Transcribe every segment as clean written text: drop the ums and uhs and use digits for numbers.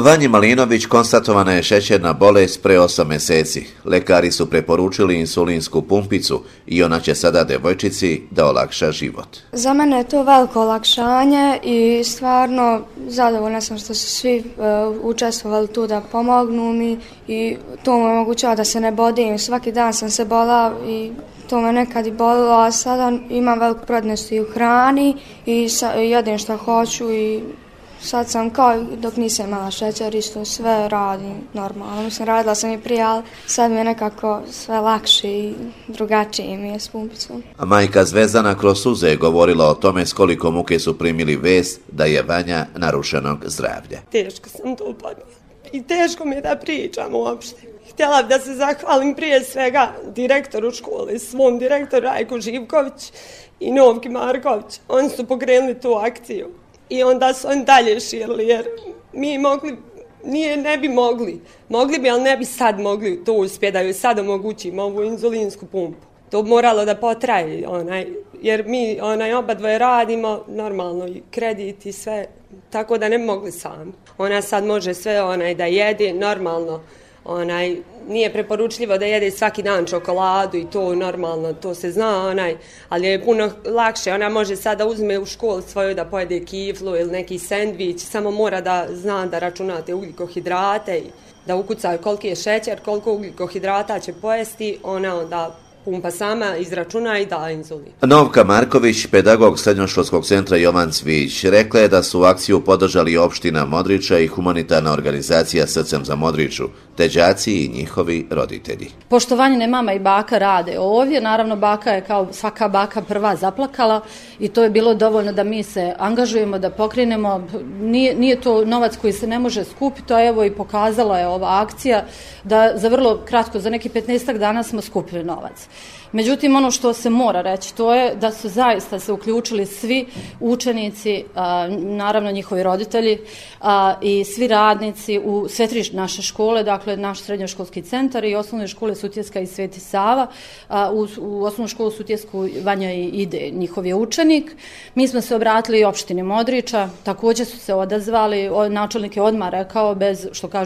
Vanji Malinović konstatovana je šećerna bolest pre 8 mjeseci. Lekari su preporučili insulinsku pumpicu i ona će sada devojčici da olakša život. Za mene je to veliko olakšanje i stvarno zadovoljna sam što su svi učestvovali tu da pomognu mi i to me omogućava da se ne bodim. Svaki dan sam se bolala i to me nekad i bolilo, a sada imam veliku prednost i u hrani i jedem što hoću i sad sam kao dok nisam imala šećer, isto sve radim normalno. Mislim, radila sam i prije, ali sad mi je nekako sve lakše i drugačije mi je s pumpicom. A majka Zvezdana kroz suze je govorila o tome s koliko muke su primili vest da je Vanja narušenog zdravlja. Teško sam to podnijela i teško mi je da pričam uopšte. Htjela bih da se zahvalim prije svega direktoru škole, svom direktoru Rajku Živković i Novki Marković. Oni su pokrenuli tu akciju. I onda su oni dalje širili, jer mi ne bi mogli, ali ne bi sad mogli to uspjeti da joj sad omogućimo ovu inzulinsku pumpu. To moralo da potraje, jer mi oba dvoje radimo, normalno i kredit i sve, tako da ne bi mogli sami. Ona sad može sve da jede, normalno. Nije preporučljivo da jede svaki dan čokoladu i to normalno, to se zna, ali je puno lakše. Ona može sada uzme u školu svoju da pojede kiflu ili neki sendvič, samo mora da zna da računate ugljikohidrate i da ukuca koliki je šećer, koliko ugljikohidrata će pojesti, ona onda pumpa sama izračuna i da inzulin. Novka Marković, pedagog srednjoškolskog centra Jovan Cvijić, rekla je da su akciju podržali opština Modriča i humanitarna organizacija Srcem za Modriču, te đaci i njihovi roditelji. Poštovanje mama i baka rade ovdje, naravno baka je kao svaka baka prva zaplakala i to je bilo dovoljno da mi se angažujemo, da pokrenemo. Nije to novac koji se ne može skupiti, a evo i pokazala je ova akcija da za vrlo kratko, za neki 15 dana smo skupili novac. Međutim, ono što se mora reći, to je da su zaista se uključili svi učenici, naravno njihovi roditelji i svi radnici u sve tri naše škole, dakle naš srednjoškolski centar i osnovne škole Sutjeska i Sveti Sava. U osnovnu školu Sutjesku Vanja ide, njihov je učenik. Mi smo se obratili opštini Modriča, također su se odazvali, načelnik je odmah rekao,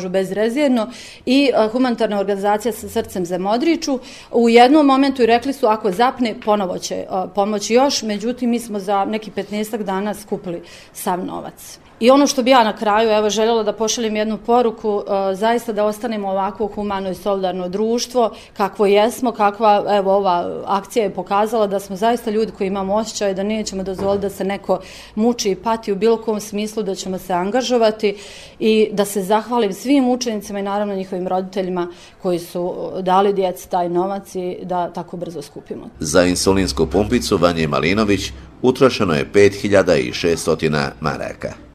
bezrezervno, i humanitarna organizacija sa Srcem za Modriču. U jednom momentu rekli su ako zapne ponovo će pomoći još, međutim mi smo za neki 15 dana skupili sav novac. I ono što bi ja na kraju željela da pošaljem jednu poruku, zaista da ostanemo ovako humano i solidarno društvo, kakvo jesmo, kakva ova akcija je pokazala da smo zaista ljudi koji imamo osjećaj da nećemo dozvoliti da se neko muči i pati u bilo kom smislu, da ćemo se angažovati i da se zahvalim svim učenicima i naravno njihovim roditeljima koji su dali djeci taj novac i da tako brzo skupimo. Za insulinsku pumpicu Vanji Malinović utrošeno je 5.600 maraka.